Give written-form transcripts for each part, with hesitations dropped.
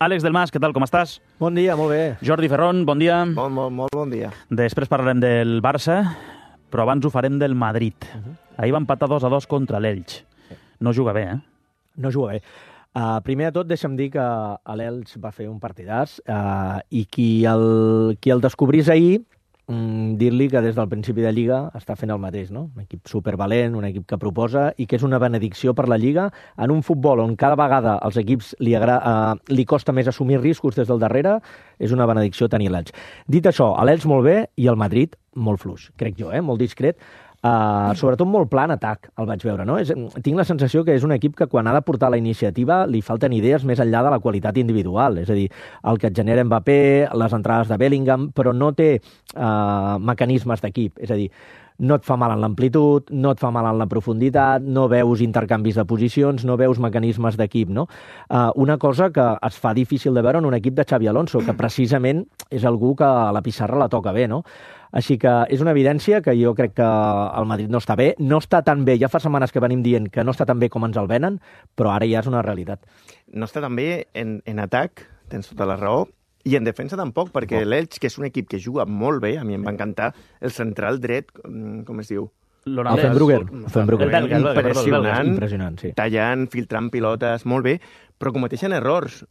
Àlex Delmas, què tal, com estàs? Bon dia, molt bé. Jordi Ferrón, bon dia. Molt bon dia. Després parlarem del Barça, però abans ho farem del Madrid. Ahir va empatar 2-2 contra l'Elx. No juga bé, eh? No juga bé. Primer de tot, deixa'm dir que l'Elx va fer un partidàs i qui el descobrís ahir, dir-li que des del principi de Lliga està fent el mateix, no? Un equip supervalent, un equip que proposa i que és una benedicció per la Lliga en un futbol on cada vegada als equips li costa més assumir riscos des del darrere, és una benedicció tenir l'Elx. Dit això, l'Elx molt bé i el Madrid molt fluix, crec jo, molt discret. Sobretot molt pla en atac, el vaig veure, no? Tinc la sensació que és un equip que quan ha de portar la iniciativa li falten idees més enllà de la qualitat individual, és a dir, el que et genera Mbappé, les entrades de Bellingham, però no té mecanismes d'equip, és a dir, no et fa mal en l'amplitud, no et fa mal en la profunditat, no veus intercanvis de posicions, no veus mecanismes d'equip, no? Una cosa que es fa difícil de veure en un equip de Xabi Alonso, que precisament és algú que a la pissarra la toca bé, no? Així que és una evidència que jo crec que el Madrid no està bé, no està tan bé, ja fa setmanes que venim dient que no està tan bé com ens el venen, però ara ja és una realitat. No està tan bé en atac, tens tota la raó, i en defensa tampoc, perquè l'Elx, que és un equip que juga molt bé, a mi em va encantar, el central dret, com es diu? El Fenbrugger. Impressionant, sí. Tallant, filtrant pilotes, molt bé, però cometeixen errors.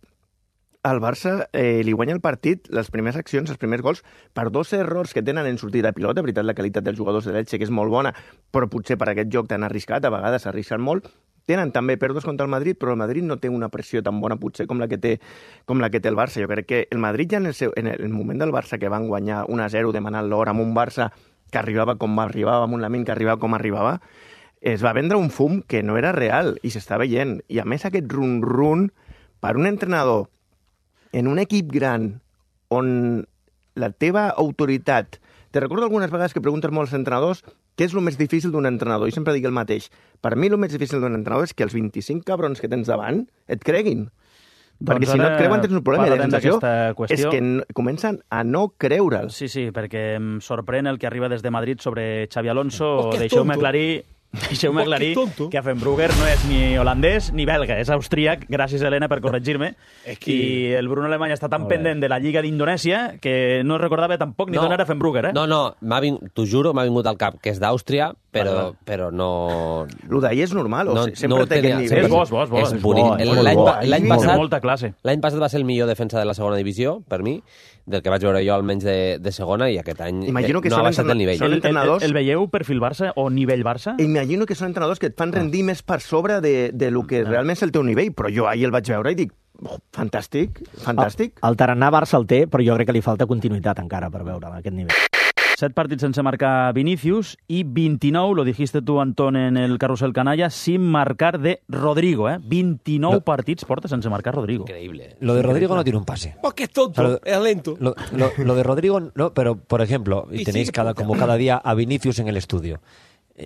Al Barça li guanya el partit, les primeres accions, els primers gols, per 2 errors que tenen en sortida de pilota. De veritat, la qualitat dels jugadors de l'Elche, que és molt bona, però potser per aquest joc tan arriscat, a vegades s'arrisquen molt. Tenen també pèrdues contra el Madrid, però el Madrid no té una pressió tan bona, potser, com la que té el Barça. Jo crec que el Madrid ja en el moment del Barça, que van guanyar 1-0 demanant l'hora amb un Barça que arribava com arribava, amb un Lamine que arribava com arribava, es va vendre un fum que no era real i s'està veient. I a més aquest run-run per un entrenador en un equip gran on la teva autoritat... Te recordo algunes vegades que preguntes molt als entrenadors què és el més difícil d'un entrenador, i sempre dic el mateix. Per mi el més difícil d'un entrenador és que els 25 cabrons que tens davant et creguin. Perquè si no et creuen tens un problema. I la sensació és que comencen a no creure'l. Sí, perquè em sorprèn el que arriba des de Madrid sobre Xabi Alonso. Deixeu-me aclarir que Fenbrugger no és ni holandès ni belga, és austríac, gràcies Helena per corregir-me, i el Bruno Alemany està tan pendent de la Lliga d'Indonèsia que no recordava tampoc ni d'on era Fenbrugger, eh? No, t'ho juro, m'ha vingut al cap que és d'Àustria, però no... Lo d'ahir és normal, sempre té aquest nivell. És bo. És bonic. L'any passat va ser el millor defensa de la segona divisió, per mi, del que vaig veure jo almenys de segona, i aquest any no ha baixat el nivell. El veieu perfil Barça o nivell Barça? Imagino que són entrenadors que et fan rendir més per sobre de lo que realment és el teu nivell, però jo ahir el vaig veure i dic, fantàstic. El tarannà Barça el té, però jo crec que li falta continuïtat encara per veure a aquest nivell. 7 partits sense marcar Vinícius i 29, lo dijiste tu, Antón, en el Carrusel Canalla, sin marcar de Rodrigo, 29 partits porta sense marcar Rodrigo. Increíble. Lo de Rodrigo no tiene un pase. Porque es tonto, es lento. Lo de Rodrigo, no, pero, por ejemplo, y tenéis como cada día a Vinicius en el estudio.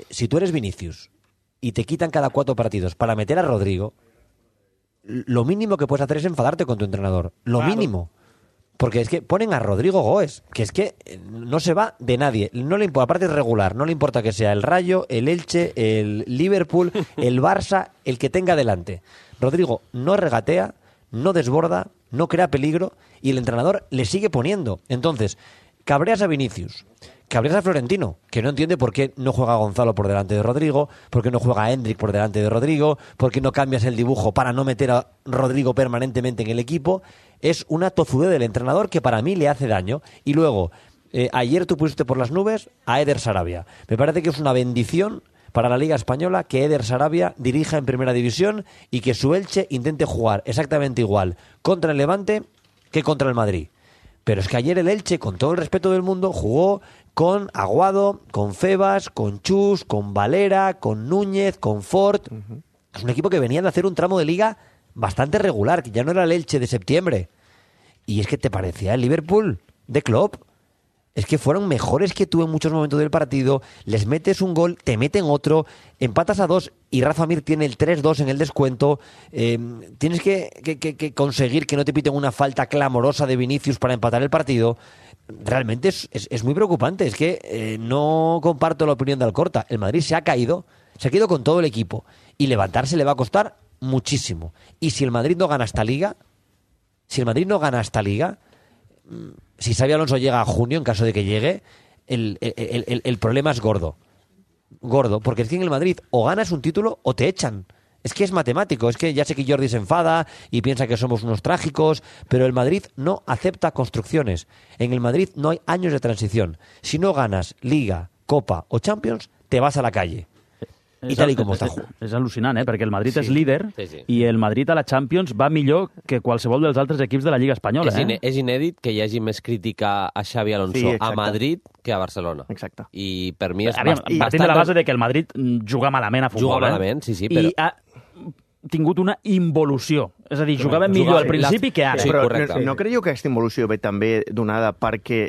Si tú eres Vinicius y te quitan cada 4 partidos para meter a Rodrigo, lo mínimo que puedes hacer es enfadarte con tu entrenador. Lo mínimo. Porque es que ponen a Rodrigo Goes, que es que no se va de nadie. No le importa, aparte es regular, no le importa que sea el Rayo, el Elche, el Liverpool, el Barça, el que tenga delante. Rodrigo no regatea, no desborda, no crea peligro y el entrenador le sigue poniendo. Entonces, cabreas a Vinicius, cabreas a Florentino, que no entiende por qué no juega Gonzalo por delante de Rodrigo, por qué no juega Endrick por delante de Rodrigo, por qué no cambias el dibujo para no meter a Rodrigo permanentemente en el equipo. Es una tozudez del entrenador que para mí le hace daño. Y luego, ayer tú pusiste por las nubes a Eder Sarabia. Me parece que es una bendición para la Liga Española que Eder Sarabia dirija en Primera División y que su Elche intente jugar exactamente igual contra el Levante que contra el Madrid. Pero es que ayer el Elche, con todo el respeto del mundo, jugó con Aguado, con Febas, con Chus, con Valera, con Núñez, con Fort. Es un equipo que venía de hacer un tramo de liga bastante regular, que ya no era el Elche de septiembre. Y es que te parecía el Liverpool de Klopp. Es que fueron mejores que tú en muchos momentos del partido. Les metes un gol, te meten otro, empatas a 2 y Rafa Mir tiene el 3-2 en el descuento. Tienes que conseguir que no te piten una falta clamorosa de Vinicius para empatar el partido. Realmente es muy preocupante. Es que no comparto la opinión de Alcorta. El Madrid se ha caído con todo el equipo. Y levantarse le va a costar muchísimo. Y si el Madrid no gana esta liga, Si el Madrid no gana esta Liga, si Xabi Alonso llega a junio, en caso de que llegue, el problema es gordo. Gordo, porque es que en el Madrid o ganas un título o te echan. Es que es matemático, es que ya sé que Jordi se enfada y piensa que somos unos trágicos, pero el Madrid no acepta construcciones. En el Madrid no hay años de transición. Si no ganas Liga, Copa o Champions, te vas a la calle. I tal com està. És al·lucinant, perquè el Madrid és líder i el Madrid a la Champions va millor que qualsevol dels altres equips de la Lliga Espanyola. És inèdit que hi hagi més crítica a Xabi Alonso a Madrid que a Barcelona. Exacte. I per mi és partint de la base de que el Madrid juga malament a futbol. Juga malament, sí, però... I ha tingut una involució. És a dir, jugava millor al principi que ara. Sí, però no creieu que aquesta involució ve també donada perquè,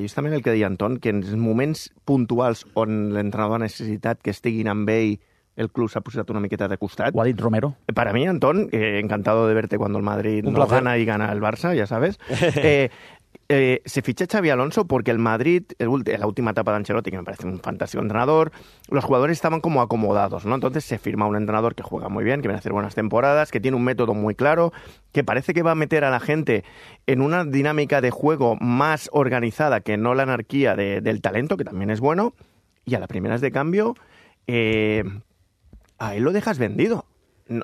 justament el que deia Anton, que en moments puntuals on l'entrenador ha necessitat que estiguin amb ell, el club s'ha posat una miqueta de costat. Ho ha dit Romero. Para mí, Antón, encantado de verte cuando el Madrid no gana y gana el Barça, ya sabes. Se ficha Xabi Alonso porque el Madrid, la última etapa de Ancelotti, que me parece un fantástico entrenador, los jugadores estaban como acomodados, ¿no? Entonces se firma un entrenador que juega muy bien, que viene a hacer buenas temporadas, que tiene un método muy claro, que parece que va a meter a la gente en una dinámica de juego más organizada que no la anarquía del talento, que también es bueno, y a las primeras de cambio, a él lo dejas vendido.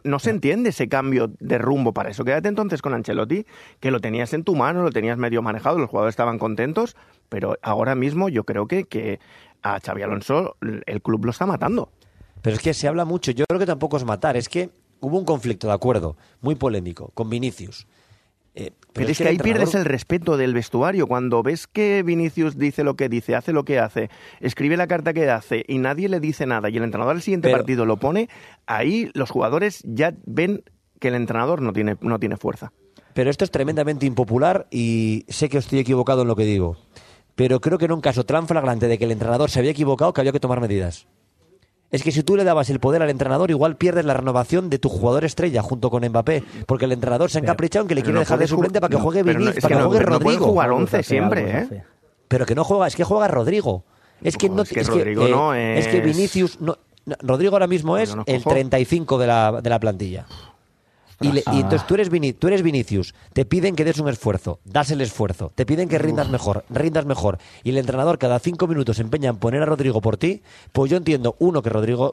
No se entiende ese cambio de rumbo para eso. Quédate entonces con Ancelotti, que lo tenías en tu mano, lo tenías medio manejado, los jugadores estaban contentos, pero ahora mismo yo creo que a Xabi Alonso el club lo está matando. Pero es que se habla mucho, yo creo que tampoco es matar, es que hubo un conflicto, de acuerdo, muy polémico, con Vinicius. Pero es que ahí pierdes el respeto del vestuario. Cuando ves que Vinicius dice lo que dice, hace lo que hace, escribe la carta que hace y nadie le dice nada y el entrenador al siguiente partido lo pone, ahí los jugadores ya ven que el entrenador no tiene fuerza. Pero esto es tremendamente impopular y sé que estoy equivocado en lo que digo. Pero creo que en un caso tan flagrante de que el entrenador se había equivocado que había que tomar medidas. Es que si tú le dabas el poder al entrenador, igual pierdes la renovación de tu jugador estrella junto con Mbappé, porque el entrenador se ha encaprichado en que le quiere dejar de suplente para que juegue Vinicius, para que juegue Rodrigo. No puede jugar 11 siempre, ¿eh? Pero que no juega, es que juega Rodrigo. Es que Rodrigo no es... Es que Vinicius... Rodrigo ahora mismo es el 35 de la plantilla. Y entonces tú eres Vinicius, te piden que des un esfuerzo, das el esfuerzo, te piden que rindas mejor, y el entrenador cada 5 minutos se empeña en poner a Rodrigo por ti, pues yo entiendo,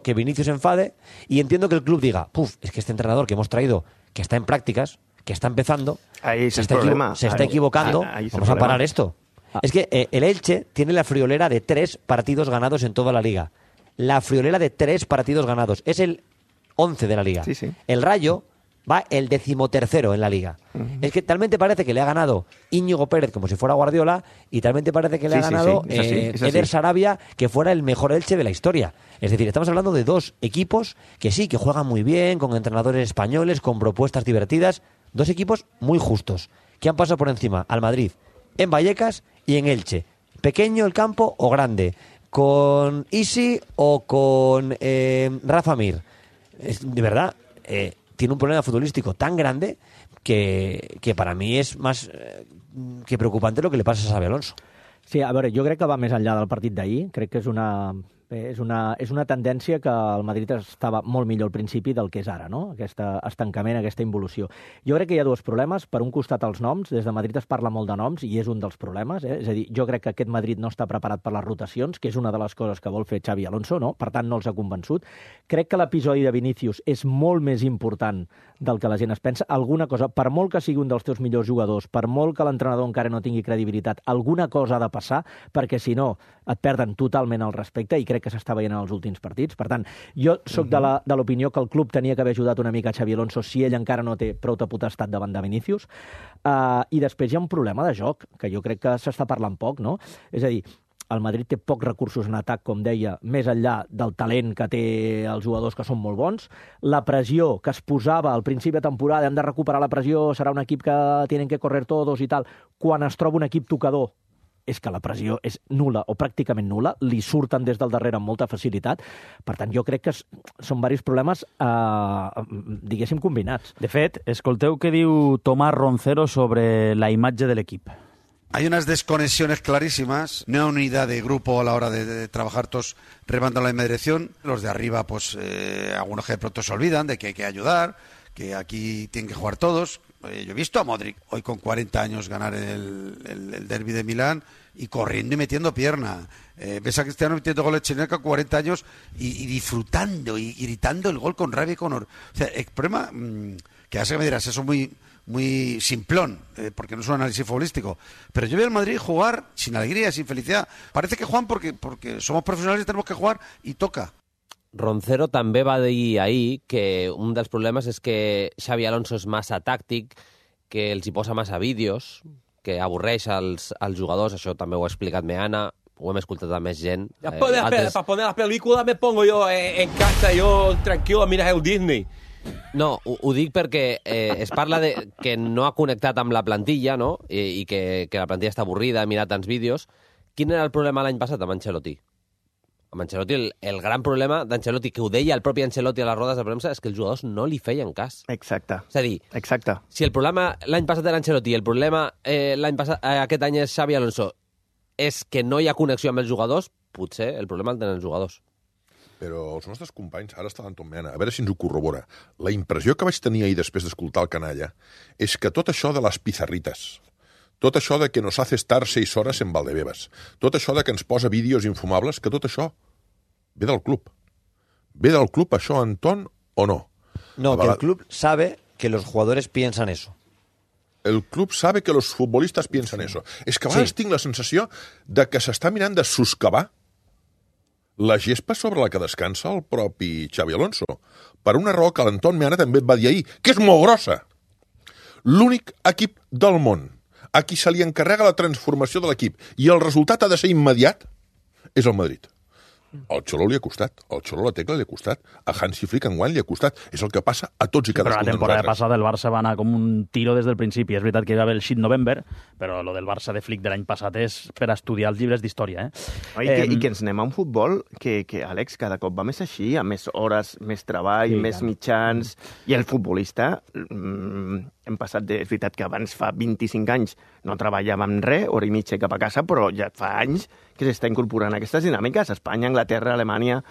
que Vinicius se enfade, y entiendo que el club diga, es que este entrenador que hemos traído, que está en prácticas, que está empezando, se está equivocando, vamos a parar esto. Es que el Elche tiene la friolera de 3 partidos ganados en toda la liga. La friolera de 3 partidos ganados. Es el 11 de la liga. Sí, sí. El Rayo va el 13º en la Liga. Es que talmente parece que le ha ganado Íñigo Pérez como si fuera Guardiola y talmente parece que le ha ganado Eder Sarabia que fuera el mejor Elche de la historia. Es decir, estamos hablando de 2 equipos que sí, que juegan muy bien, con entrenadores españoles, con propuestas divertidas. 2 equipos muy justos, que han pasado por encima al Madrid en Vallecas y en Elche. Pequeño el campo o grande, con Isi o con Rafa Mir. De verdad... tiene un problema futbolístico tan grande que para mí és més que preocupante lo que le passa a Xabi Alonso. Sí, a veure, jo crec que va més enllà del partit d'ahir. Crec que és una tendència que el Madrid estava molt millor al principi del que és ara, no? Aquest estancament, aquesta involució. Jo crec que hi ha 2 problemes. Per un costat, els noms. Des de Madrid es parla molt de noms i és un dels problemes. És a dir, jo crec que aquest Madrid no està preparat per les rotacions, que és una de les coses que vol fer Xabi Alonso, no? Per tant, no els ha convençut. Crec que l'episodi de Vinicius és molt més important del que la gent es pensa. Alguna cosa, per molt que sigui un dels teus millors jugadors, per molt que l'entrenador encara no tingui credibilitat, alguna cosa ha de passar, perquè si no et perden totalment el respecte i crec que s'està veient en els últims partits. Per tant, jo sóc de l'opinió que el club tenia que haver ajudat una mica a Xabi Alonso si ell encara no té prou de potestat davant de Vinicius. I després hi ha un problema de joc, que jo crec que s'està parlant poc, no? És a dir, el Madrid té pocs recursos en atac, com deia, més enllà del talent que té els jugadors que són molt bons. La pressió que es posava al principi de temporada, hem de recuperar la pressió, serà un equip que tienen que correr todos i tal, quan es troba un equip tocador, és que la pressió és nul·la o pràcticament nul·la, li surten des del darrere amb molta facilitat. Per tant, jo crec que són diversos problemes, diguéssim, combinats. De fet, escolteu què diu Tomás Roncero sobre la imatge de l'equip. Hay unas desconexiones clarísimas, no hay unidad de grupo a la hora de trabajar todos remando en la misma dirección. Los de arriba, pues algunos que de pronto se olvidan de que hay que ayudar, que aquí tienen que jugar todos. Yo he visto a Modric hoy con 40 años ganar el derbi de Milán y corriendo y metiendo pierna. Ves a Cristiano metiendo goles chilenos con 40 años y disfrutando y gritando el gol con rabia y con honor. O sea, el problema, que ya sé que me dirás, eso es muy simplón, porque no es un análisis futbolístico, pero yo veo al Madrid jugar sin alegría, sin felicidad. Parece que juegan porque somos profesionales y tenemos que jugar y toca. Roncero també va dir ahir que un dels problemes és que Xavi Alonso és massa tàctic, que els hi posa massa vídeos, que avorreix als jugadors, això també ho ha explicat Meana, ho hem escoltat a més gent. Para poner la película me pongo yo en casa, yo tranquilo a mirar el Disney. No, ho dic perquè es parla de que no ha connectat amb la plantilla, no? I que la plantilla està avorrida, ha mirat tants vídeos. Quin era el problema l'any passat amb Ancelotti? Amb Ancelotti, el gran problema d'Ancelotti, que ho deia el propi Ancelotti a les rodes de premsa, és que els jugadors no li feien cas. Exacte. És a dir, si el problema l'any passat era Ancelotti i el problema aquest any és Xavi Alonso, és que no hi ha connexió amb els jugadors, potser el problema el tenen els jugadors. Però els nostres companys, ara està l'Anton Meana, a veure si ens ho corrobora. La impressió que vaig tenir ahir després d'escoltar el canalla és que tot això de les pizarrites, tot això de que nos hace estar 6 horas en Valdebebas, tot això de que ens posa vídeos infumables, que tot això ve del club. ¿Ve del club això, Anton, o no? No, que el club sabe que los jugadores piensan eso. El club sabe que los futbolistas piensan eso. És que a vegades tinc la sensació de que s'està mirant de soscavar la gespa sobre la que descansa el propi Xavi Alonso. Per una raó que l'Anton Meana també et va dir ahir, que és molt grossa. L'únic equip del món a qui se li encarrega la transformació de l'equip i el resultat ha de ser immediat és el Madrid. Al Xolo li ha costat, al Xolo la tecla li ha costat, a Hansi Flick enguany li ha costat. És el que passa a tots i cadascun de nosaltres. Però la temporada passada el Barça va anar com un tiro des del principi. És veritat que hi va haver el shit November, però lo del Barça de Flick de l'any passat és per estudiar els llibres d'història. I que ens anem a un futbol que, Àlex, cada cop va més així, amb més hores, més treball, més mitjans, i el futbolista... Hem passat, és veritat que abans fa 25 anys no treballàvem res, hora i mitja cap a casa, però ja fa anys que s'està incorporant aquestes dinàmiques. Espanya, Anglaterra, Alemanya,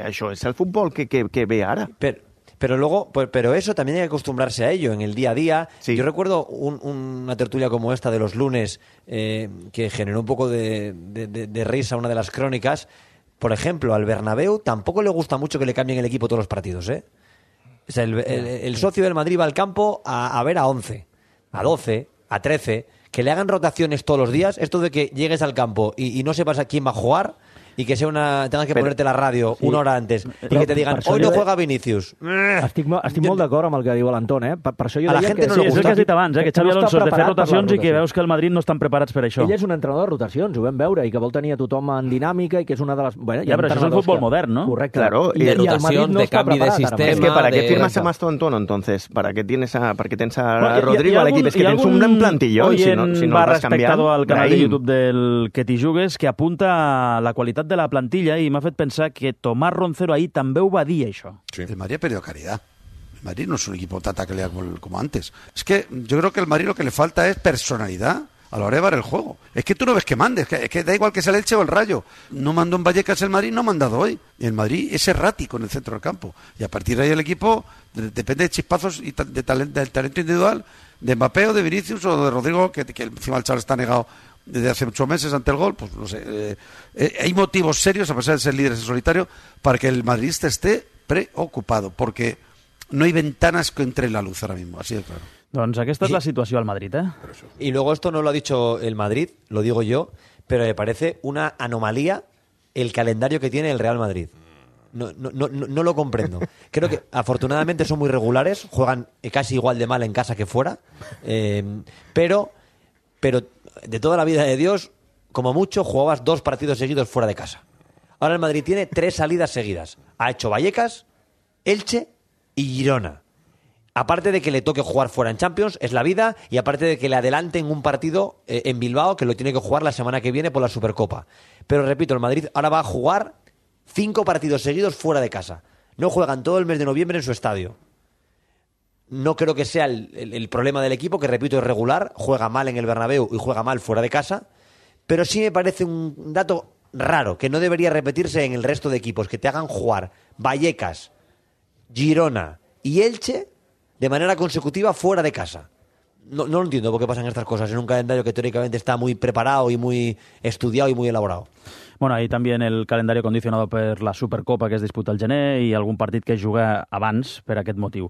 això és el futbol que ve ara. Pero eso también hay que acostumbrarse a ello en el día a día. Sí. Yo recuerdo una tertulia como esta de los lunes que generó un poco de risa, una de las crónicas. Por ejemplo, al Bernabéu tampoco le gusta mucho que le cambien el equipo todos los partidos, ¿eh? O sea, el socio del Madrid va al campo a ver a 11, a 12, a 13, que le hagan rotaciones todos los días. Esto de que llegues al campo y no sepas a quién va a jugar y que tengas que ponerte la ràdio una hora antes i que te digan, hoy no juega Vinicius. Estic molt d'acord amb el que diu l'Anton, Per això jo deia que... És el que has dit abans, que Xavi Alonso és de fer rotacions i que veus que el Madrid no estan preparats per això. Ell és un entrenador de rotacions, ho vam veure, i que vol tenir a tothom en dinàmica i que és una de les... Bueno, però això és el futbol modern, ¿no? Correcte. Claro, y de rotación, de canvi de sistema... Es que ¿para qué firmas a Mastonton, entonces? ¿Para qué tienes a Rodrigo al equipo? Es que tienes un gran plantillón si no lo vas cambiando. Al canal de YouTube del Que t'hi jugues, que apunta la qualitat de la plantilla i m'ha fet pensar que Tomás Roncero ahí també ho va dir, això. Sí. El Madrid ha perdido calidad. El Madrid no es un equipo tanta calidad como antes. Es que yo creo que el Madrid lo que le falta es personalidad a la hora de llevar el juego. Es que tú no ves que mandes, es que da igual que sea el Elche o el Rayo. No mandó en Vallecas el Madrid, no ha mandado hoy. Y el Madrid es errático en el centro del campo. Y a partir de ahí el equipo depende de chispazos y del talento individual de Mbappé o de Vinicius o de Rodrigo, que encima el chaval está negado desde hace 8 meses ante el gol. Pues no sé, hay motivos serios, a pesar de ser líderes en solitario, para que el madridista esté preocupado, porque no hay ventanas que entre la luz ahora mismo, así de claro. Doncs aquesta és la situació al Madrid, Y luego esto no lo ha dicho el Madrid, lo digo yo, pero me parece una anomalía el calendario que tiene el Real Madrid. No lo comprendo. Creo que afortunadamente son muy regulares, juegan casi igual de mal en casa que fuera, pero de toda la vida de Dios, como mucho, jugabas 2 partidos seguidos fuera de casa. Ahora el Madrid tiene 3 salidas seguidas. Ha hecho Vallecas, Elche y Girona. Aparte de que le toque jugar fuera en Champions, es la vida, y aparte de que le adelanten un partido en Bilbao, que lo tiene que jugar la semana que viene por la Supercopa. Pero repito, el Madrid ahora va a jugar 5 partidos seguidos fuera de casa. No juegan todo el mes de noviembre en su estadio. No creo que sea el problema del equipo, que repito es regular, juega mal en el Bernabéu y juega mal fuera de casa, pero sí me parece un dato raro, que no debería repetirse en el resto de equipos, que te hagan jugar Vallecas, Girona y Elche de manera consecutiva fuera de casa. No lo entiendo por qué pasan estas cosas en un calendario que teóricamente está muy preparado y muy estudiado y muy elaborado. Bueno, ahí també el calendari condicionado per la Supercopa que es disputa al gener i algun partit que es juga abans per aquest motiu.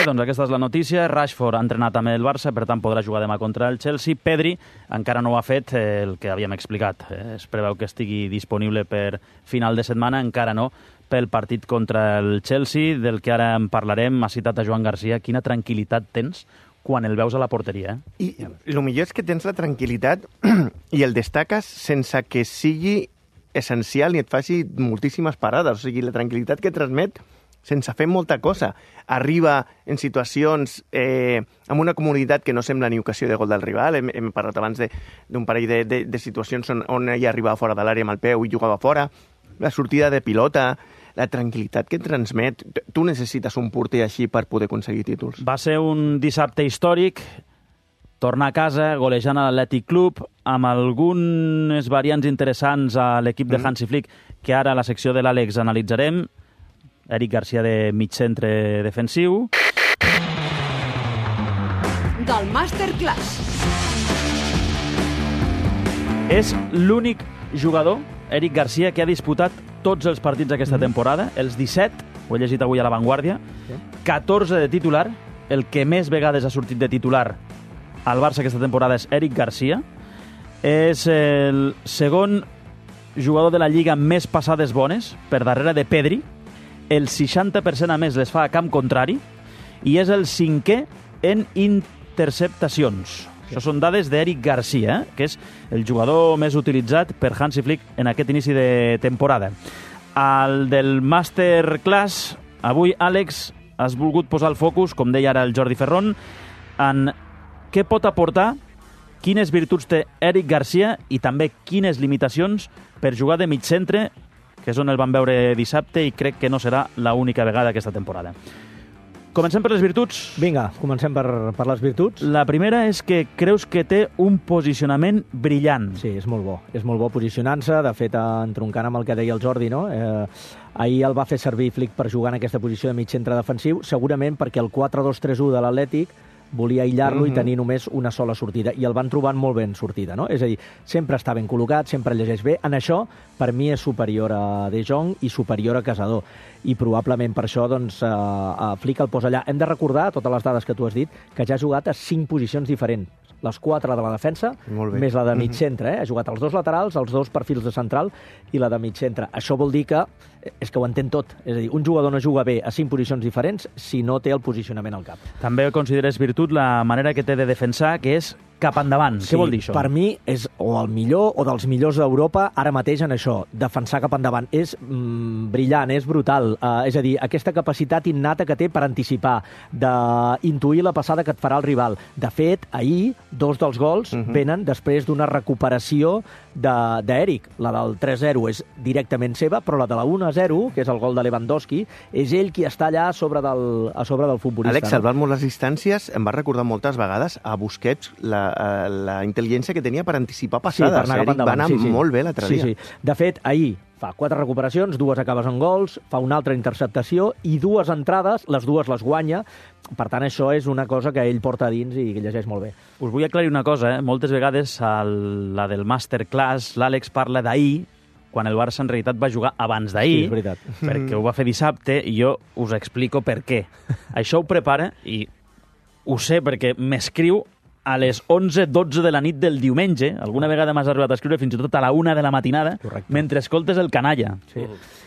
Doncs aquesta és la notícia. Rashford ha entrenat amb el Barça, per tant podrà jugar demà contra el Chelsea. Pedri encara no ho ha fet, el que havíem explicat. Es preveu que estigui disponible per final de setmana, encara no pel partit contra el Chelsea, del que ara en parlarem. Ha citat a Joan Garcia. Quina tranquil·litat tens quan el veus a la porteria. I el millor és que tens la tranquil·litat i el destaques sense que sigui essencial ni et faci moltíssimes parades. O sigui, la tranquil·litat que transmet sense fer molta cosa. Arriba en situacions amb una comunitat que no sembla ni ocasió de gol del rival. Hem parlat abans d'un parell de situacions on ella arribava fora de l'àrea amb el peu i jugava fora. La sortida de pilota, la tranquil·litat que transmet. Tu necessites un porter així per poder aconseguir títols. Va ser un dissabte històric, tornar a casa, golejant a l'Atlètic Club, amb algunes variants interessants a l'equip de Hansi Flick, que ara a la secció de l'Àlex analitzarem. Eric Garcia de mig centre defensiu. Del Masterclass. És l'únic jugador, Eric Garcia, que ha disputat tots els partits d'aquesta temporada, els 17, ho he llegit avui a La Vanguardia, 14 de titular, el que més vegades ha sortit de titular al Barça aquesta temporada és Eric Garcia, és el segon jugador de la Lliga amb més passades bones, per darrere de Pedri, el 60% a més les fa a camp contrari, i és el 5è en interceptacions. Això són dades d'Eric Garcia, que és el jugador més utilitzat per Hansi Flick en aquest inici de temporada. Al del Masterclass, avui, Àlex, has volgut posar el focus, com deia ara el Jordi Ferrón, en què pot aportar, quines virtuts té Eric Garcia i també quines limitacions per jugar de mig centre, que és on el vam veure dissabte i crec que no serà l'única vegada aquesta temporada. Comencem per les virtuts. Vinga, comencem per les virtuts. La primera és que creus que té un posicionament brillant. Sí, és molt bo. És molt bo posicionant-se. De fet, entroncant amb el que deia el Jordi, no? Ahir el va fer servir Flick per jugar en aquesta posició de mig centre defensiu, segurament perquè el 4-2-3-1 de l'Atlètic volia aïllar-lo i tenir només una sola sortida, i el van trobant molt ben sortida, no? És a dir, sempre està ben col·locat, sempre llegeix bé. En això, per mi, és superior a De Jong i superior a Casador. I probablement per això, doncs, Flick el posa allà. Hem de recordar, totes les dades que tu has dit, que ja ha jugat a 5 posicions diferents. Les 4 de la defensa, més la de mig centre. Ha jugat els 2 laterals, els 2 perfils de central i la de mig centre. Això vol dir que és que ho entén tot. És a dir, un jugador no juga bé a 5 posicions diferents si no té el posicionament al cap. També consideres virtut la manera que té de defensar, que és cap endavant. Sí, què vol dir això? Per mi és o el millor o dels millors d'Europa ara mateix en això, defensar cap endavant. És brillant, és brutal. És a dir, aquesta capacitat innata que té per anticipar, d'intuir la passada que et farà el rival. De fet, ahir, 2 dels gols venen després d'una recuperació d'Eric. La del 3-0 és directament seva, però la de la 1-0, que és el gol de Lewandowski, és ell qui està allà a sobre del futbolista. Àlex, salvant molt les distàncies, em va recordar moltes vegades a Busquets la intel·ligència que tenia per anticipar passades. Sí, per anar cap endavant. Va anar molt bé l'altre dia. Sí. De fet, ahir fa 4 recuperacions, 2 acabes en gols, fa una altra interceptació i 2 entrades, les 2 les guanya. Per tant, això és una cosa que ell porta a dins i que llegeix molt bé. Us vull aclarir una cosa, Moltes vegades a la del Masterclass l'Àlex parla d'ahir, quan el Barça en realitat va jugar abans d'ahir, sí, és veritat. Perquè ho va fer dissabte, i jo us explico per què. Això ho prepara, i ho sé perquè m'escriu a les 11:12 de la nit del diumenge. Alguna vegada m'has arribat a escriure fins i tot a la 1 de la matinada, mentre escoltes el canalla. Sí.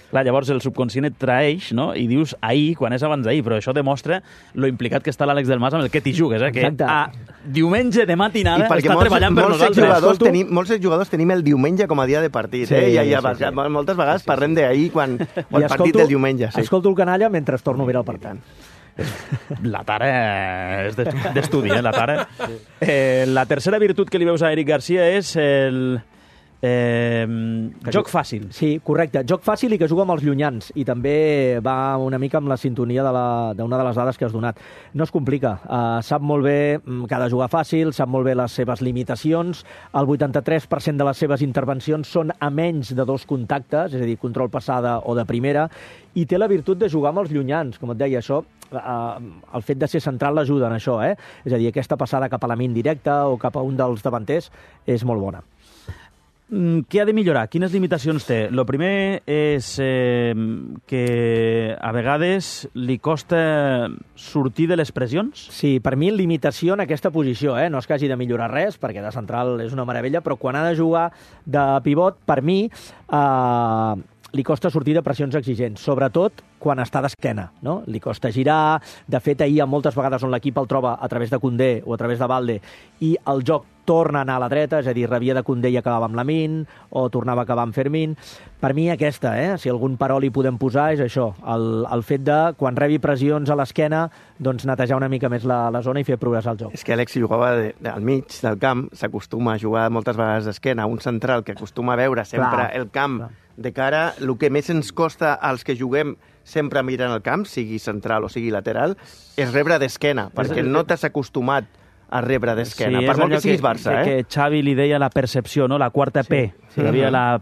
Clar, llavors el subconscient et traeix, no? I dius ahir, quan és abans d'ahir, però això demostra lo implicat que està l'Àlex del Mas amb el que t'hi jugues, que a diumenge de matinada està treballant per nosaltres. Molts jugadors tenim el diumenge com a dia de partit, sí, moltes vegades parlem d'ahir quan el partit del diumenge. Escolto el canalla mentre torno a mirar el partit. La tara és d'estudi, la tara. La tercera virtut que li veus a Eric Garcia és Joc fàcil. Sí, correcte. Joc fàcil i que juga amb els llunyans. I també va una mica amb la sintonia d'una de les dades que has donat. No es complica. Sap molt bé que ha de jugar fàcil, sap molt bé les seves limitacions. El 83% de les seves intervencions són a menys de 2 contactes, és a dir, control passada o de primera, i té la virtut de jugar amb els llunyans. Com et deia, això, el fet de ser central l'ajuda en això, eh? És a dir, aquesta passada cap a la min directa o cap a un dels davanters és molt bona. Què ha de millorar? Quines limitacions té? El primer és que a vegades li costa sortir de les pressions? Sí, per mi limitació en aquesta posició, no és que hagi de millorar res, perquè de central és una meravella, però quan ha de jugar de pivot, per mi li costa sortir de pressions exigents, sobretot quan està d'esquena, no? Li costa girar, de fet ahir moltes vegades on l'equip el troba a través de Koundé o a través de Balde i el joc torna a anar a la dreta, és a dir, rebia de Koundé i acabava amb Lamine o tornava a acabar amb Fermín. Per mi aquesta, si algun parol hi podem posar és això, el fet de quan rebi pressions a l'esquena doncs netejar una mica més la zona i fer progressar el joc. És que Alex, si jugava al mig del camp, s'acostuma a jugar moltes vegades d'esquena, un central que acostuma a veure sempre el camp de cara. El que més ens costa als que juguem sempre mirant el camp, sigui central o sigui lateral, és rebre d'esquena, perquè no t'has acostumat a rebre d'esquena, per molt que siguis Barça. Que Xavi li deia la percepció, no? La quarta P. Hi havia la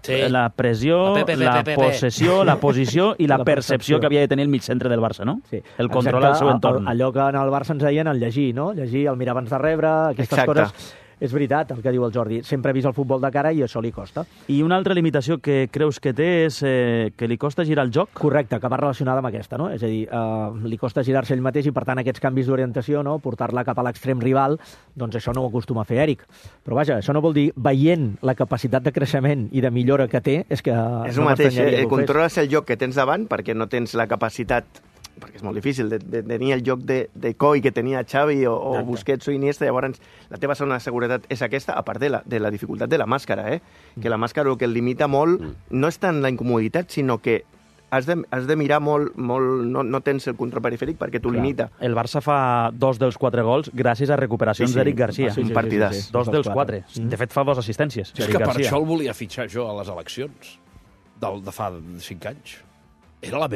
pressió, la possessió, la posició i la percepció que havia de tenir el mig-centre del Barça, no? Sí. El control al seu entorn. Allò que en el Barça ens deien el llegir, no? Llegir, el mirar abans de rebre, aquestes coses. És veritat el que diu el Jordi. Sempre ha vist el futbol de cara i això li costa. I una altra limitació que creus que té és que li costa girar el joc? Correcte, que va relacionada amb aquesta, no? És a dir, li costa girar-se ell mateix i, per tant, aquests canvis d'orientació, no? Portar-la cap a l'extrem rival, doncs això no ho acostuma a fer Eric. Però vaja, això no vol dir, veient la capacitat de creixement i de millora que té, és que... És el mateix, controles el joc que tens davant perquè no tens la capacitat, perquè és molt difícil, de tenir el joc de coi que tenia Xavi o Busquets o Iniesta. Llavors la teva zona de seguretat és aquesta, a part de la dificultat de la màscara, que la màscara el que el limita molt no és tant la incomoditat, sinó que has de mirar molt, no tens el control perifèric perquè t'ho limita. El Barça fa 2 dels 4 gols gràcies a recuperacions d'Eric Garcia. Un partidàs. 2 dels 4. De fet, fa 2 assistències. És que per això el volia fitxar jo a les eleccions de fa 5 anys. Era la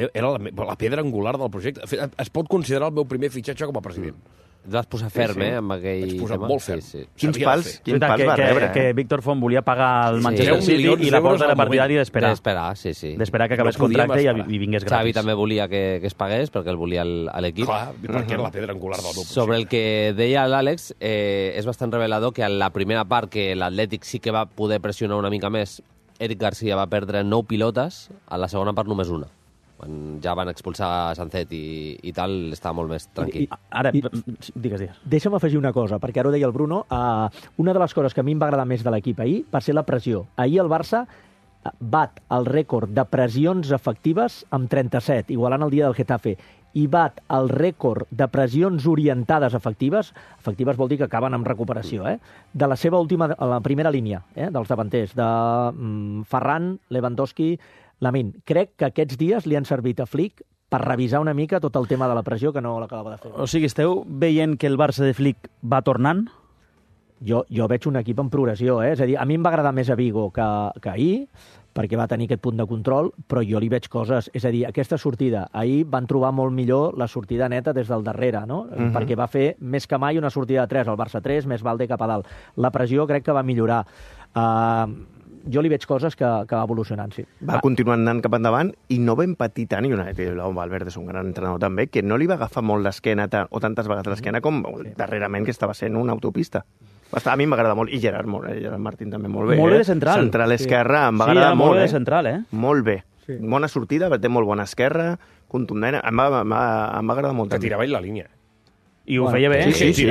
pedra angular del projecte. Es pot considerar el meu primer fitxatge com a president. Et vas posar ferm, amb aquell Vaig posar molt ferm. Quins pals va rebre. Que Víctor Font volia pagar el Manchester City i la porta era partidari d'esperar. D'esperar que acabés contracte i vingués gratis. Xavi també volia que es pagués, perquè el volia a l'equip. Clar, perquè era la pedra angular del meu projecte. Sobre el que deia l'Àlex, és bastant revelador que en la primera part que l'Atlètic sí que va poder pressionar una mica més, Eric Garcia va perdre 9 pilotes, a la segona part només una. Quan ja van expulsar Sancet i tal, estava molt més tranquil. Ara, digues. Deixa'm afegir una cosa, perquè ara ho deia el Bruno. Una de les coses que a mi em va agradar més de l'equip ahir va ser la pressió. Ahir el Barça bat el rècord de pressions efectives amb 37, igualant el dia del Getafe, i bat el rècord de pressions orientades efectives vol dir que acaben amb recuperació, de la seva la primera línia, dels davanters, de Ferran, Lewandowski, Lamine. Crec que aquests dies li han servit a Flick per revisar una mica tot el tema de la pressió que no l'acabava de fer. O sigui, esteu veient que el Barça de Flick va tornant? Jo veig un equip en progressió, És a dir, a mi em va agradar més a Vigo que ahir, perquè va tenir aquest punt de control, però jo li veig coses. És a dir, aquesta sortida, ahir van trobar molt millor la sortida neta des del darrere, no? Perquè va fer més que mai una sortida de 3, el Barça 3, més Balde cap a dalt. La pressió crec que va millorar. Jo li veig coses que va evolucionant, sí. Va continuar anant cap endavant i no vam patir tant, i Valverde és un gran entrenador també, que no li va agafar molt l'esquena o tantes vegades l'esquena com darrerament que estava sent una autopista. A mi m'agrada molt, i Gerard Martín també molt bé. Molt bé de central. Central esquerra, em va agradar molt. Molt bé de central, Molt bé. Bona sortida, té molt bona esquerra, contundent, em va agradar molt. Que tirava ell la línia. I ho feia bé. Sí.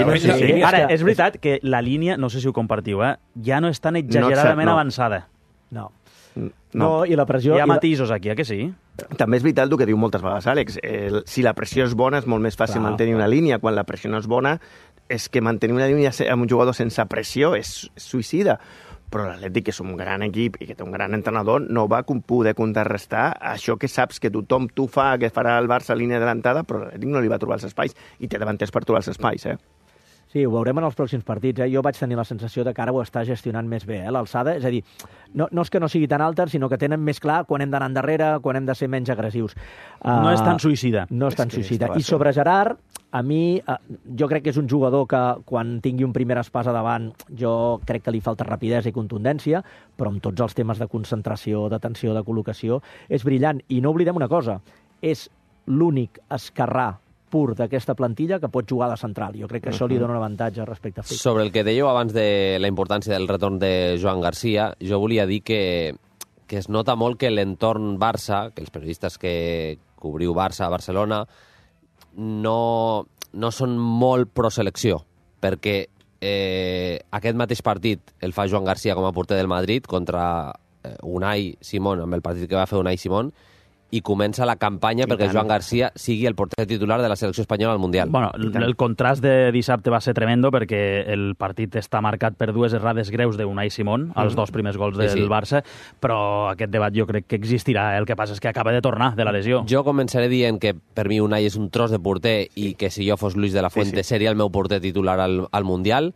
Ara, és veritat que la línia, no sé si ho compartiu, ja no és tan exageradament avançada. No, i la pressió... Hi ha matisos aquí, que sí? També és veritat el que diu moltes vegades Àlex. Si la pressió és bona és molt més fàcil mantenir una línia. Quan la pressió no és bona és que mantenir una línia amb un jugador sense pressió és suïcida. Però l'Atlètic, que és un gran equip i que té un gran entrenador, no va poder contrarrestar això que saps que tothom que farà el Barça a línia adelantada, però l'Atlètic no li va trobar els espais, i té davanters per trobar els espais, Sí, ho veurem en els pròxims partits. Jo vaig tenir la sensació de que ara ho està gestionant més bé, l'alçada. És a dir, no és que no sigui tan alta, sinó que tenen més clar quan hem d'anar endarrere, quan hem de ser menys agressius. No és tan suïcida. No és tan suïcida. I sobre Gerard, a mi, jo crec que és un jugador que quan tingui un primer espàs a davant, jo crec que li falta rapidesa i contundència, però amb tots els temes de concentració, d'atenció, de col·locació, és brillant. I no oblidem una cosa, és l'únic esquerrà pur d'aquesta plantilla que pot jugar a la central. Jo crec que això li dona un avantatge respecte a Flick. Sobre el que dèieu abans de la importància del retorn de Joan Garcia, jo volia dir que es nota molt que l'entorn Barça, que els periodistes que cobriu Barça a Barcelona, no són molt pro-selecció, perquè aquest mateix partit el fa Joan Garcia com a porter del Madrid contra Unai Simón, amb el partit que va fer Unai Simón, i comença la campanya perquè Joan Garcia sigui el porter titular de la selecció espanyola al Mundial. Bueno, el contrast de dissabte va ser tremendo perquè el partit està marcat per dues errades greus d'Unai Simón, els dos primers gols del Barça, però aquest debat jo crec que existirà. El que passa és que acaba de tornar de la lesió. Jo començaré dient que per mi Unai és un tros de porter i que si jo fos Luis de la Fuente seria el meu porter titular al Mundial,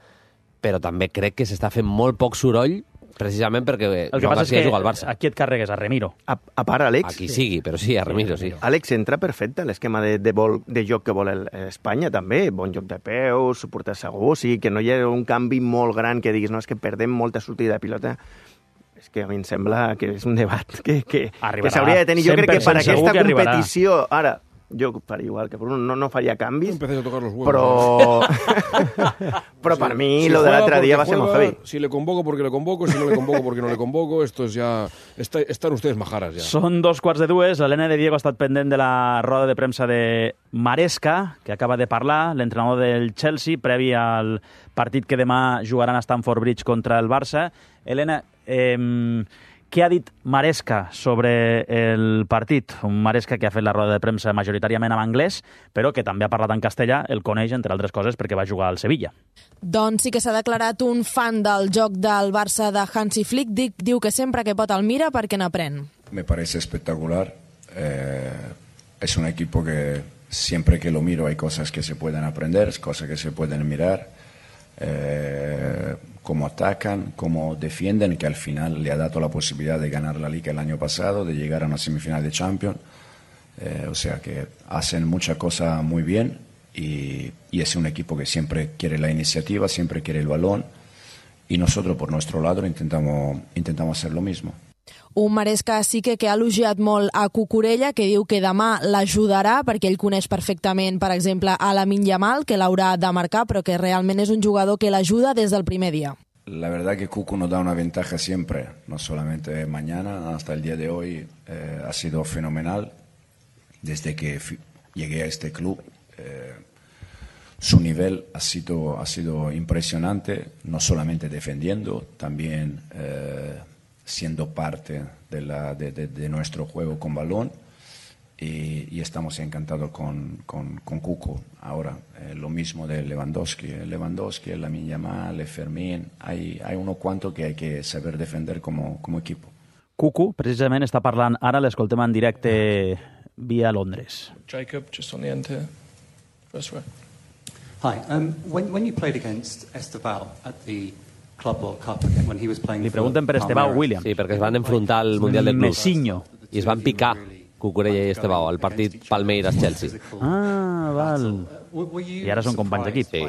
però també crec que s'està fent molt poc soroll precisament perquè Joan Garcia juga al Barça. Aquí et carregues a Remiro. A part, Àlex... Aquí sigui, però sí, a Remiro, sí. Àlex entra perfecte en l'esquema de joc que vol Espanya, també. Bon joc de peus, portar segur, o sigui, que no hi ha un canvi molt gran que diguis, no, és que perdem molta sortida de pilota. És que a mi em sembla que és un debat que s'hauria de tenir. Jo crec que per aquesta competició... Ara, jo faria igual que Bruno, no faria canvis, però per mi lo de l'altre dia va ser molt heavy. Si le convoco porque le convoco, si no le convoco porque no le convoco, esto es ya... Están ustedes majaras ya. Són 2:15. L'Helena de Diego ha estat pendent de la roda de premsa de Maresca, que acaba de parlar, l'entrenador del Chelsea, previ al partit que demà jugaran a Stamford Bridge contra el Barça. Helena, què ha dit Maresca sobre el partit? Un Maresca que ha fet la roda de premsa majoritàriament en anglès, però que també ha parlat en castellà, el coneix, entre altres coses, perquè va jugar al Sevilla. Doncs sí que s'ha declarat un fan del joc del Barça de Hansi Flick. Diu que sempre que pot el mira perquè n'aprèn. Me parece espectacular. Es un equipo que siempre que lo miro hay cosas que se pueden aprender, cosas que se pueden mirar. Cómo atacan, cómo defienden, que al final le ha dado la posibilidad de ganar la Liga el año pasado, de llegar a una semifinal de Champions. O sea que hacen muchas cosas muy bien y es un equipo que siempre quiere la iniciativa, siempre quiere el balón y nosotros por nuestro lado intentamos hacer lo mismo. Un Maresca sí que ha elogiat molt a Cucurella, que diu que demà l'ajudarà perquè ell coneix perfectament, per exemple, a Lamine Yamal, que l'haurà de marcar, però que realment és un jugador que l'ajuda des del primer dia. La verdad que Cucu nos da una ventaja siempre, no solamente mañana, hasta el día de hoy ha sido fenomenal. Desde que llegué a este club, su nivel ha sido impresionante, no solamente defendiendo, también siendo parte de nuestro juego con balón y estamos encantados con Cuco. Ahora, lo mismo de Lewandowski, Lamine Yamal, Fermín, hay unos cuantos que hay que saber defender como equipo. Cuco, precisament, està parlant ara, l'escoltem en directe via Londres. Jacob, just on the end here. First row. Hi, when you played against Esteval at the Club World Cup again, when he was playing. Li pregunten per Estebao Williams. Sí, perquè es van enfrontar al Mundial de Clubs. Messiño. I es van picar Cucurella i Estebao al partit Palmeiras-Chelsea. Ah, val. I ara són companys d'equip. Sí.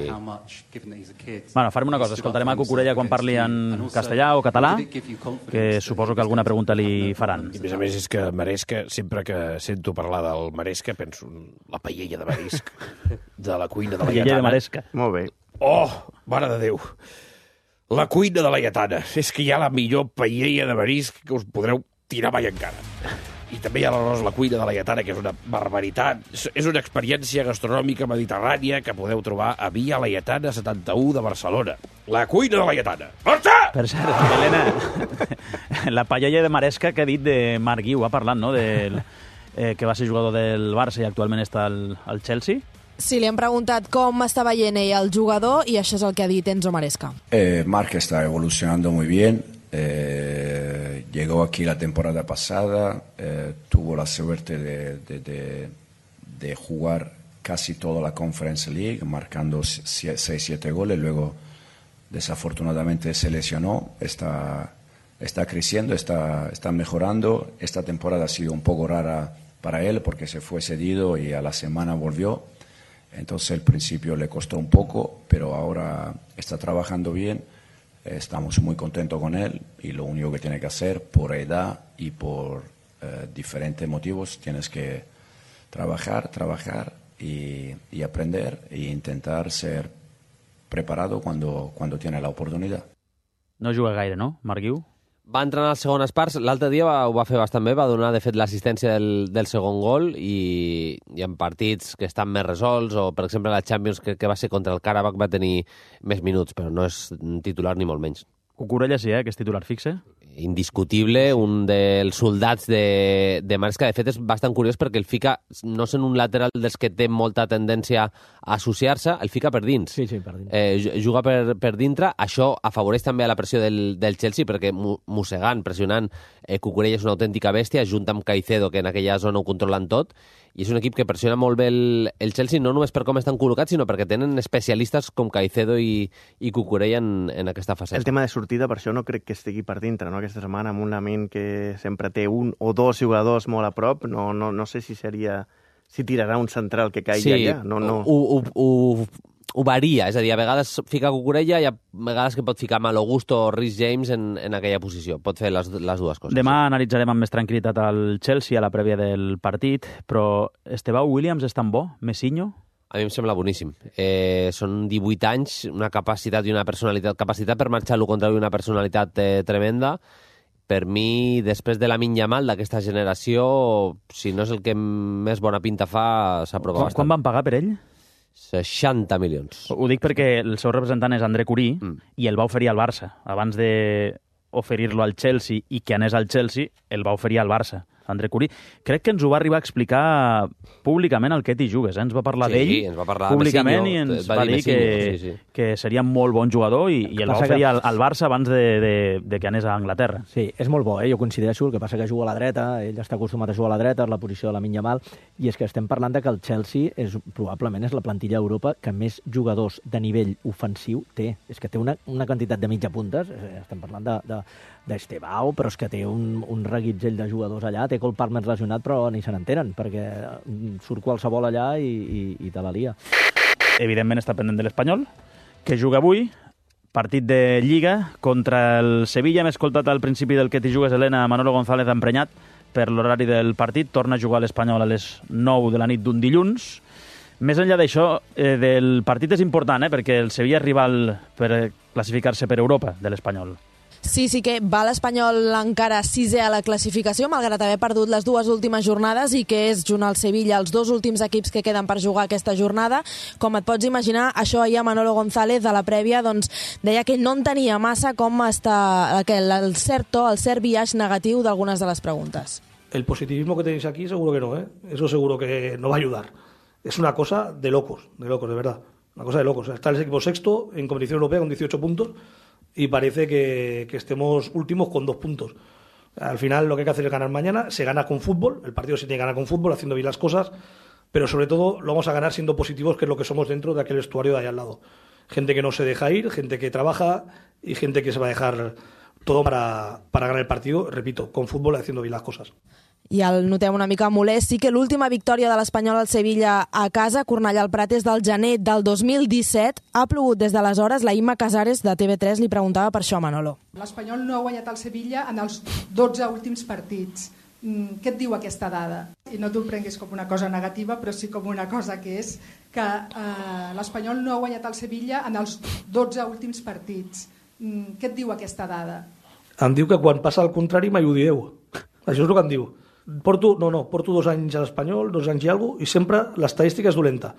Bueno, farem una cosa, escoltarem a Cucurella quan parli en castellà o català, que suposo que alguna pregunta li faran. I a més és que Maresca, sempre que sento parlar del Maresca, penso en la paella de marisc de la cuina de la Paella de Maresca. Molt bé. Oh, mare de Déu! La cuina de la Lletana. És que hi ha la millor paella de marisc que us podreu tirar mai encara. I també hi ha la cuina de la Lletana, que és una barbaritat. És una experiència gastronòmica mediterrània que podeu trobar a Via Laietana 71 de Barcelona. La cuina de la Lletana. Marxa! Per cert, Helena, la paella de Maresca que ha dit de Marc Guiu, ha parlat, no?, que va ser jugador del Barça i actualment està al Chelsea. Sí, li han preguntat com està veient ell el jugador i això és el que ha dit Enzo Maresca. Marc está evolucionando muy bien. Llegó aquí la temporada pasada, tuvo la suerte de jugar casi toda la Conference League, marcando 6-7 goles. Luego, desafortunadamente, se lesionó. Está creciendo, está mejorando. Esta temporada ha sido un poco rara para él porque se fue cedido y a la semana volvió. Entonces, al principio le costó un poco, pero ahora está trabajando bien. Estamos muy contentos con él y lo único que tiene que hacer, por edad y por diferentes motivos, tienes que trabajar y aprender e intentar ser preparado cuando tiene la oportunidad. No juga gaire, no, Marc Guiu? Va entrenar les segones parts. L'altre dia ho va fer bastant bé, va donar, de fet, l'assistència del segon gol i en partits que estan més resolts, o, per exemple, la Champions, que va ser contra el Karabakh, va tenir més minuts, però no és titular ni molt menys. Cucurella sí, que és titular fixe. Indiscutible, un dels soldats de Maresca. De fet, és bastant curiós perquè el fica, no sent un lateral dels que té molta tendència a associar-se, el fica per dins. Sí, per dins. Juga per dintre. Això afavoreix també a la pressió del Chelsea, perquè mossegant, pressionant, Cucurella és una autèntica bèstia, junt amb Caicedo, que en aquella zona ho controlen tot, i és un equip que pressiona molt bé el Chelsea, no només per com estan col·locats, sinó perquè tenen especialistes com Caicedo i Cucurella en aquesta fase. El tema de sortida, per això no crec que estigui per dintre, no? Aquesta setmana, amb un Lamine que sempre té un o dos jugadors molt a prop, no sé si tirarà un central que caigui allà. No. Ho varia, és a dir, a vegades fica Cucurella i a vegades que pot ficar Malo Gusto o Rhys James en aquella posició. Pot fer les dues coses. Demà analitzarem amb més tranquil·litat el Chelsea a la prèvia del partit, però Estevao Williams és tan bo? Messinho? A mi em sembla boníssim. Són 18 anys, una capacitat i una personalitat. Capacitat per marxar l'1 contra 1 i una personalitat tremenda. Per mi, després de Lamine Yamal, d'aquesta generació, si no és el que més bona pinta fa, s'aprova bastant. Quan van pagar per ell? 60 milions. Ho dic perquè el seu representant és André Curí i el va oferir al Barça. Abans d'oferir-lo al Chelsea i que anés al Chelsea, el va oferir al Barça. André Curí. Crec que ens ho va arribar a explicar públicament el Ketty Jugues. Ens va parlar d'ell públicament i ens va dir que seria molt bon jugador i el va oferir al Barça abans de que anés a Anglaterra. Sí, és molt bo, jo considero. El que passa que juga a la dreta, ell està acostumat a jugar a la dreta, és la posició de Lamine Yamal, i és que estem parlant de que el Chelsea probablement és la plantilla d'Europa que més jugadors de nivell ofensiu té. És que té una quantitat de mitja puntes, estem parlant d'Estevao, però és que té un reguitzell de jugadors allà, té Cole Palmer lesionat, però ni se n'entenen, perquè surt qualsevol allà i te la lia. Evidentment està pendent de l'Espanyol, que juga avui, partit de Lliga contra el Sevilla. Hem escoltat al principi del Ketty Jugues, Helena, Manolo González emprenyat per l'horari del partit. Torna a jugar l'Espanyol a les 9 de la nit d'un dilluns. Més enllà d'això, del partit és important, perquè el Sevilla és rival per classificar-se per Europa de l'Espanyol. Sí que va l'Espanyol encara 6è a la classificació, malgrat haver perdut les dues últimes jornades, i que és, junt al Sevilla, els dos últims equips que queden per jugar aquesta jornada. Com et pots imaginar, això ahir a Manolo González, a la prèvia, doncs, deia que no entenia massa com està el cert biaix negatiu d'algunes de les preguntes. El positivismo que tenéis aquí seguro que no, eso seguro que no va a ayudar. Es una cosa de locos, de verdad. Una cosa de locos. Está el equipo sexto en competición europea con 18 puntos y parece que estemos últimos con 2 puntos. Al final lo que hay que hacer es ganar mañana. Se gana con fútbol, el partido se tiene que ganar con fútbol, haciendo bien las cosas, pero sobre todo lo vamos a ganar siendo positivos, que es lo que somos dentro de aquel vestuario de ahí al lado. Gente que no se deja ir, gente que trabaja y gente que se va a dejar todo para ganar el partido, repito, con fútbol y haciendo bien las cosas. I el notem una mica molest. Sí que l'última victòria de l'Espanyol al Sevilla a casa, Cornellà al Prat, és del gener del 2017. Ha plogut des d'aleshores. La Imma Casares, de TV3, li preguntava per això a Manolo. L'Espanyol no ha guanyat al Sevilla en els 12 últims partits. Què et diu aquesta dada? I no t'ho prenguis com una cosa negativa, però sí com una cosa que és que l'Espanyol no ha guanyat al Sevilla en els 12 últims partits. Què et diu aquesta dada? Em diu que quan passa el contrari mai ho dieu. Això és el que em diu. Porto 2 anys a l'Espanyol, 2 anys i alguna cosa, i sempre l'estadística és dolenta.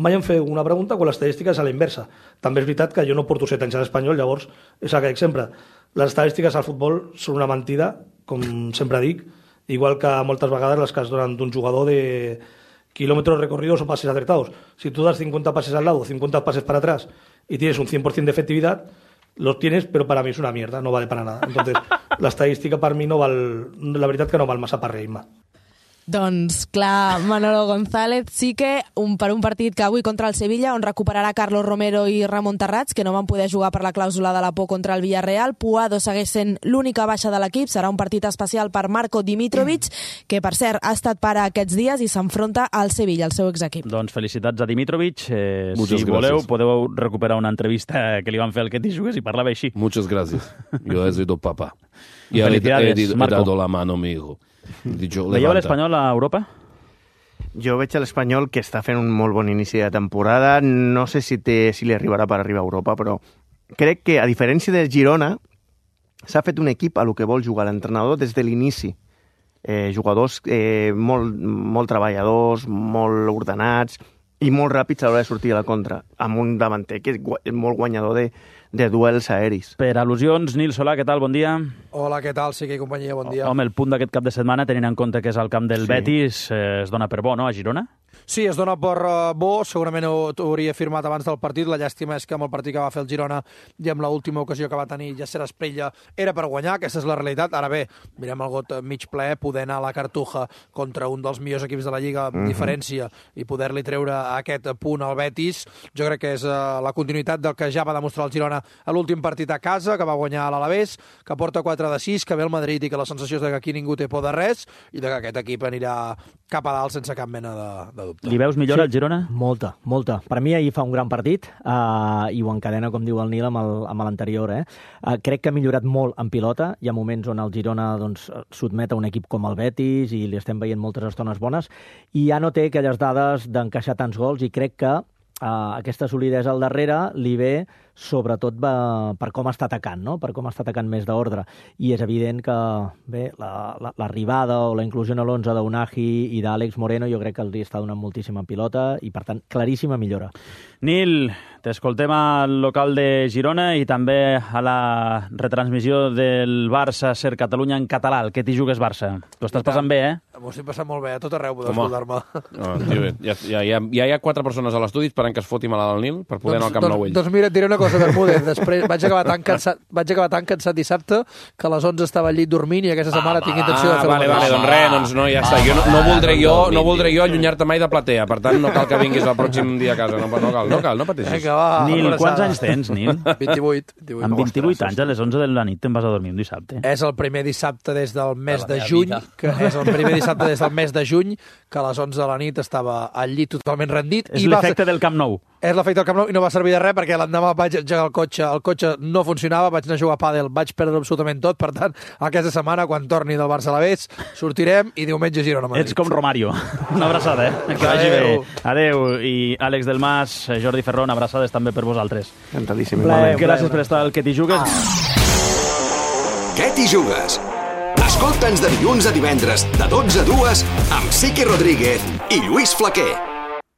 Mai em feu una pregunta quan l'estadística és a la inversa. També és veritat que jo no porto 7 anys a l'Espanyol, llavors és el que dic sempre. Les estadístiques al futbol són una mentida, com sempre dic, igual que moltes vegades les que es donen d'un jugador de kilómetros recorridos o pases acertados. Si tú das 50 pases al lado, 50 pases para atrás y tienes un 100% de efectividad, los tienes, pero para mí es una mierda, no vale para nada. Entonces, la estadística para mí no val, la veritat que no val massa per res, Imma. Doncs clar, Manolo González sí que per un partit que avui contra el Sevilla, on recuperarà Carlos Romero i Ramon Terrats, que no van poder jugar per la clàusula de la por contra el Villarreal. Puado segueix sent l'única baixa de l'equip. Serà un partit especial per Marko Dimitrovic, que per cert ha estat pare aquests dies i s'enfronta al Sevilla, el seu exequip. Doncs felicitats a Dimitrovic. Si voleu, podeu recuperar una entrevista que li van fer al Ketty Jugues i parlava així. Muchas gracias. Yo he sido papá. Y he dado la mano a mi hijo. Veieu l'Espanyol a Europa? Jo veig a l'Espanyol que està fent un molt bon inici de temporada. No sé si li arribarà per arribar a Europa, però crec que, a diferència del Girona, s'ha fet un equip a lo que vol jugar l'entrenador des de l'inici. Jugadors molt treballadors, molt ordenats i molt ràpids a l'hora de sortir a la contra, amb un davanter que és molt guanyador de duels aeris. Per al·lusions, Nil Solà, què tal? Bon dia. Hola, què tal? Sí que companyia, bon dia. Home, el punt d'aquest cap de setmana, tenint en compte que és al camp del Betis, es dona per bo, no, a Girona? Sí, es dona per bo, segurament ho hauria firmat abans del partit. La llàstima és que amb el partit que va fer el Girona i amb l'última ocasió que va tenir Yasser Asprilla era per guanyar, aquesta és la realitat. Ara bé, mirem el got mig ple, poder anar a la Cartuja contra un dels millors equips de la Lliga amb diferència i poder-li treure aquest punt al Betis, jo crec que és la continuïtat del que ja va demostrar el Girona a l'últim partit a casa, que va guanyar a l'Alavés, que porta 4-6, que ve el Madrid i que la sensació és que aquí ningú té por de res i que aquest equip anirà cap a dalt sense cap mena de dubte. Li veus millor al Girona? Molta. Per mi ahir fa un gran partit i ho encadena, com diu el Nil, amb l'anterior. Crec que ha millorat molt en pilota. Hi ha moments on el Girona sotmet a un equip com el Betis i li estem veient moltes estones bones i ja no té aquelles dades d'encaixar tants gols i crec que aquesta solidesa al darrere li ve sobretot per com està atacant, no? Per com està atacant més d'ordre. I és evident que bé, l'arribada o la inclusió en l'11 d'Unagi i d'Àlex Moreno jo crec que els està donant moltíssima pilota i, per tant, claríssima millora. Nil, t'escoltem al local de Girona i també a la retransmissió del Barça Ser Catalunya en català, el Ketty Jugues Barça. T'ho estàs passant bé, M'ho estic passant molt bé, a tot arreu podeu escoltar-me. Ja hi ha 4 persones a l'estudi esperant que es foti malalt el Nil per poder anar al Camp Nou ell. Doncs mira, et diré una cosa, Bermúdez. Després vaig acabar tan cansat dissabte que a les 11 estava al llit dormint i aquesta setmana tinc intenció de fer vale, doncs res, doncs no, ja està. Jo no voldré jo allunyar-te mai de platea, per tant no cal que vinguis el pròxim dia a casa, no cal, no pateixis. Nil, quants anys tens, Nil? 28. Amb 28 anys, a les 11 de la nit te'n vas a dormir un dissabte. És el primer dissabte des del mes de juny, que a les 11 de la nit estava al llit totalment rendit. És l'efecte del Camp Nou. És l'efecte del Camp Nou i no va servir de res perquè l'endemà vaig engegar el cotxe no funcionava, vaig anar a jugar a pàdel, vaig perdre absolutament tot, per tant, aquesta setmana, quan torni del Barça a l'Alavés, sortirem i diumenge Girona a Madrid. Ets com Romario. Una abraçada, Que vagi bé. Adéu. I Àlex del Mas, Jordi Ferrón, abraçades també per vosaltres. Encantadíssim. Gràcies per estar al Ketty Jugues. Ketty Jugues. Escolta'ns de dilluns a divendres, de 12 a 2, amb Sique Rodríguez i Lluís Flaquer.